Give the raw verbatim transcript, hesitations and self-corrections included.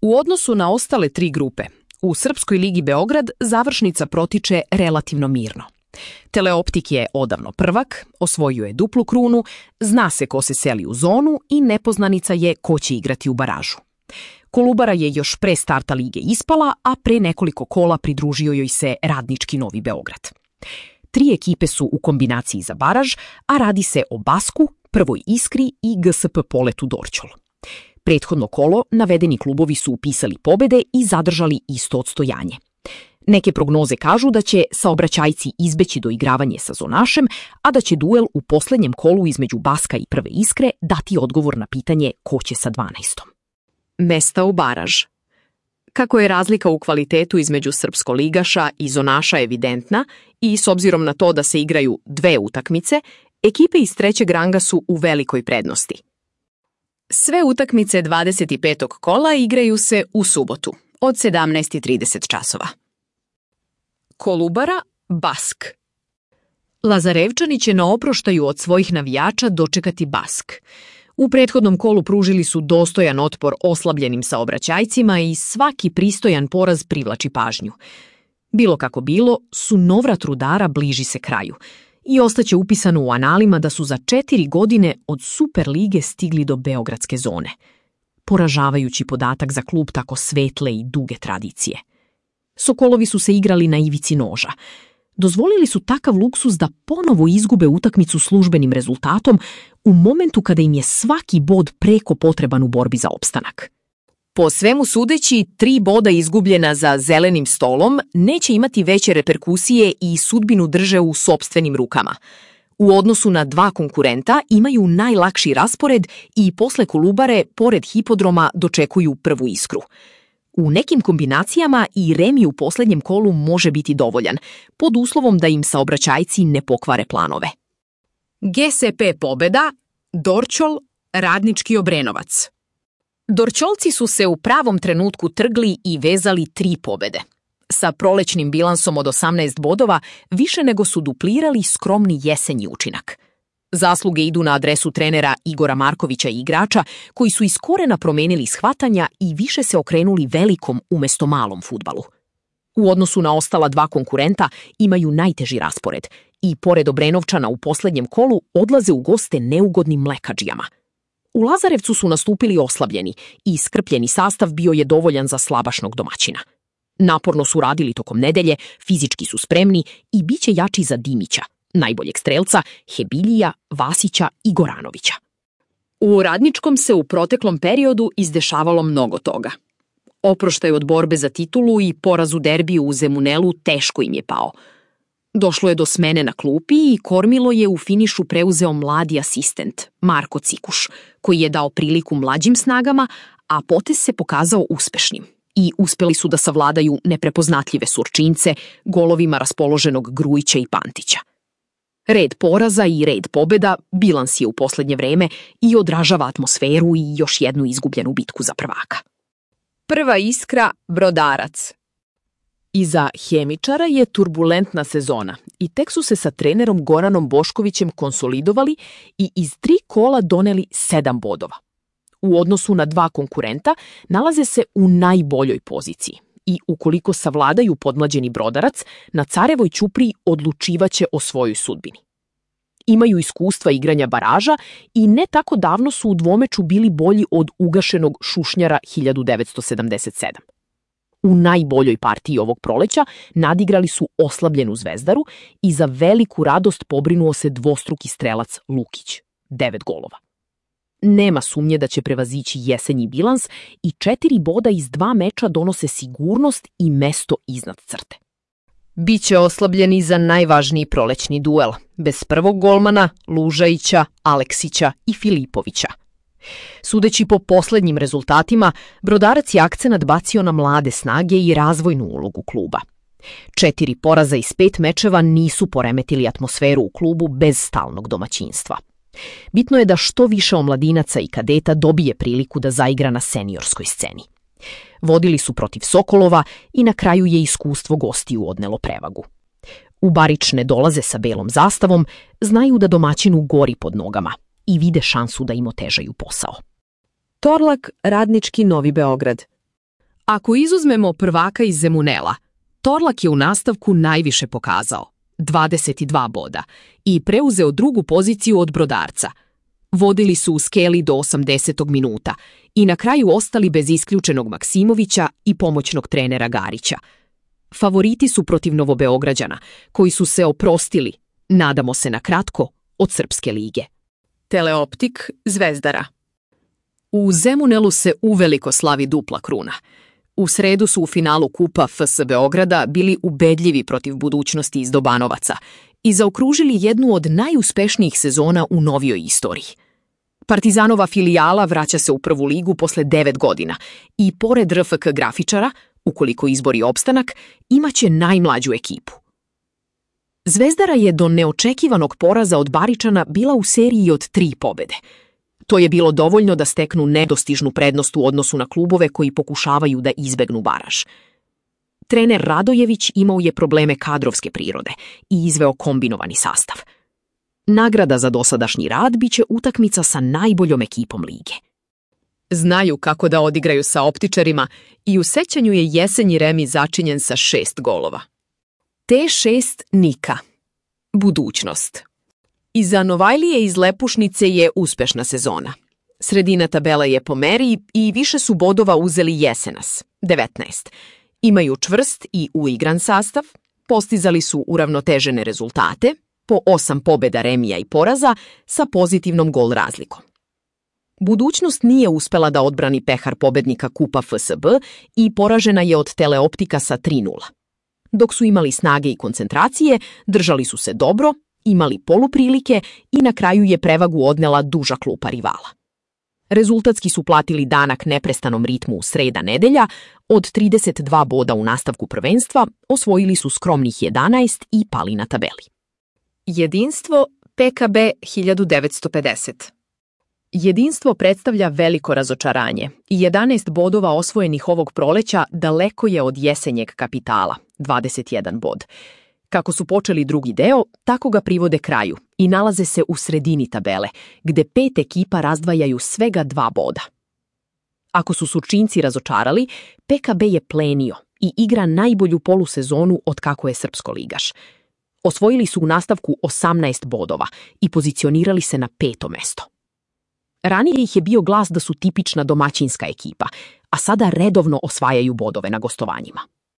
U odnosu na ostale tri grupe, u Srpskoj ligi Beograd završnica protiče relativno mirno. Teleoptik je odavno prvak, osvojio je duplu krunu, zna se ko se seli u zonu i nepoznanica je ko će igrati u baražu. Kolubara je još pre starta lige ispala, a pre nekoliko kola pridružio joj se Radnički Novi Beograd. Tri ekipe su u kombinaciji za baraž, a radi se o Basku, Prvoj Iskri i G S P Poletu Dorćol. Prethodno kolo navedeni klubovi su upisali pobede i zadržali isto odstojanje. Neke prognoze kažu da će saobraćajci izbeći doigravanje sa zonašem, a da će duel u poslednjem kolu između Baska i Prve Iskre dati odgovor na pitanje ko će sa dvanaestom. Mesta u baraž. Kako je razlika u kvalitetu između srpskoligaša i zonaša evidentna i s obzirom na to da se igraju dve utakmice, ekipe iz trećeg ranga su u velikoj prednosti. Sve utakmice dvadeset petog kola igraju se u subotu od sedamnaest i trideset časova. Kolubara, Bask. Lazarevčani će na oproštaju od svojih navijača dočekati Bask. U prethodnom kolu pružili su dostojan otpor oslabljenim saobraćajcima i svaki pristojan poraz privlači pažnju. Bilo kako bilo, sunovrat rudara bliži se kraju i ostaće upisano u analima da su za četiri godine od Super lige stigli do beogradske zone. Poražavajući podatak za klub tako svetle i duge tradicije. Sokolovi su se igrali na ivici noža. Dozvolili su takav luksuz da ponovo izgube utakmicu službenim rezultatom u momentu kada im je svaki bod preko potreban u borbi za opstanak. Po svemu sudeći, tri boda izgubljena za zelenim stolom neće imati veće reperkusije i sudbinu drže u sopstvenim rukama. U odnosu na dva konkurenta imaju najlakši raspored i posle Kolubare, pored hipodroma, dočekuju Prvu Iskru. U nekim kombinacijama i remi u poslednjem kolu može biti dovoljan, pod uslovom da im saobraćajci ne pokvare planove. G S P pobeda, Dorćol, Radnički Obrenovac. Dorćolci su se u pravom trenutku trgli i vezali tri pobede. Sa prolećnim bilansom od osamnaest bodova više nego su duplirali skromni jesenji učinak. Zasluge idu na adresu trenera Igora Markovića i igrača koji su iz korena promenili shvatanja i više se okrenuli velikom umesto malom fudbalu. U odnosu na ostala dva konkurenta imaju najteži raspored i pored Obrenovčana u poslednjem kolu odlaze u goste neugodnim mlekadžijama. U Lazarevcu su nastupili oslabljeni i iskrpljeni sastav bio je dovoljan za slabašnog domaćina. Naporno su radili tokom nedelje, fizički su spremni i bit će jači za Dimića, najboljeg strelca, Hebiljija, Vasića i Goranovića. U Radničkom se u proteklom periodu izdešavalo mnogo toga. Oproštaj od borbe za titulu i poraz u derbiju u Zemunelu teško im je pao. Došlo je do smene na klupi i kormilo je u finišu preuzeo mladi asistent, Marko Cikuš, koji je dao priliku mlađim snagama, a potez se pokazao uspešnim i uspeli su da savladaju neprepoznatljive Surčince golovima raspoloženog Grujića i Pantića. Red poraza i red pobeda bilans je u poslednje vreme i odražava atmosferu i još jednu izgubljenu bitku za prvaka. Prva Iskra, Brodarac. Iza Hemičara je turbulentna sezona i tek su se sa trenerom Goranom Boškovićem konsolidovali i iz tri kola doneli sedam bodova. U odnosu na dva konkurenta nalaze se u najboljoj poziciji i ukoliko savladaju podmlađeni Brodarac, na Carevoj ćupriji odlučivaće o svojoj sudbini. Imaju iskustva igranja baraža i ne tako davno su u dvomeču bili bolji od ugašenog Šušnjara hiljadu devetsto sedamdeset sedam. U najboljoj partiji ovog proleća nadigrali su oslabljenu Zvezdaru i za veliku radost pobrinuo se dvostruki strelac Lukić, devet golova. Nema sumnje da će prevazići jesenji bilans i četiri boda iz dva meča donose sigurnost i mesto iznad crte. Biće oslabljeni za najvažniji prolećni duel, bez prvog golmana Lužajića, Aleksića i Filipovića. Sudeći po poslednjim rezultatima, Brodarac je akcenat bacio na mlade snage i razvojnu ulogu kluba. Četiri poraza iz pet mečeva nisu poremetili atmosferu u klubu bez stalnog domaćinstva. Bitno je da što više omladinaca i kadeta dobije priliku da zaigra na seniorskoj sceni. Vodili su protiv Sokolova i na kraju je iskustvo gostiju odnelo prevagu. U Barič ne dolaze sa belom zastavom, znaju da domaćinu gori pod nogama i vide šansu da im otežaju posao. Torlak, Radnički Novi Beograd. Ako izuzmemo prvaka iz Zemunela, Torlak je u nastavku najviše pokazao, dvadeset dva boda, i preuzeo drugu poziciju od Brodarca. Vodili su u skeli do osamdesetog minuta i na kraju ostali bez isključenog Maksimovića i pomoćnog trenera Garića. Favoriti su protiv Novobeograđana, koji su se oprostili, nadamo se na kratko, od Srpske lige. Teleoptik Zvezdara. U Zemunelu se uveliko slavi dupla kruna. U sredu su u finalu kupa F S Beograda bili ubedljivi protiv Budućnosti iz Dobanovaca i zaokružili jednu od najuspešnijih sezona u novijoj istoriji. Partizanova filijala vraća se u prvu ligu posle devet godina i pored R F K grafičara, ukoliko izbori opstanak, imaće najmlađu ekipu. Zvezdara je do neočekivanog poraza od Baričana bila u seriji od tri pobede. To je bilo dovoljno da steknu nedostižnu prednost u odnosu na klubove koji pokušavaju da izbegnu baraž. Trener Radojević imao je probleme kadrovske prirode i izveo kombinovani sastav. Nagrada za dosadašnji rad biće utakmica sa najboljom ekipom lige. Znaju kako da odigraju sa optičarima i u sećanju je jesenji remi začinjen sa šest golova. T šest Nika. Budućnost. Iza Novajlije iz Lepušnice je uspešna sezona. Sredina tabela je po meri i više su bodova uzeli Jesenas, devetnaest. Imaju čvrst i uigran sastav, postizali su uravnotežene rezultate, po osam pobeda, remija i poraza sa pozitivnom gol razlikom. Budućnost nije uspela da odbrani pehar pobednika kupa F S B i poražena je od Teleoptika sa tri nula. Dok su imali snage i koncentracije, držali su se dobro, imali poluprilike i na kraju je prevagu odnela duža klupa rivala. Rezultatski su platili danak neprestanom ritmu u sreda-nedelja, od trideset dva boda u nastavku prvenstva osvojili su skromnih jedanaest i pali na tabeli. Jedinstvo P K B hiljadu devetsto pedeset. Jedinstvo predstavlja veliko razočaranje i jedanaest bodova osvojenih ovog proleća daleko je od jesenjeg kapitala, dvadeset jedan bod. Kako su počeli drugi deo, tako ga privode kraju i nalaze se u sredini tabele, gde pet ekipa razdvajaju svega dva boda. Ako su Surčinci razočarali, P K B je plenio i igra najbolju polusezonu od kako je srpsko ligaš. Osvojili su u nastavku osamnaest bodova i pozicionirali se na peto mesto. Ranije ih je bio glas da su tipična domaćinska ekipa, a sada redovno osvajaju bodove na gostovanjima.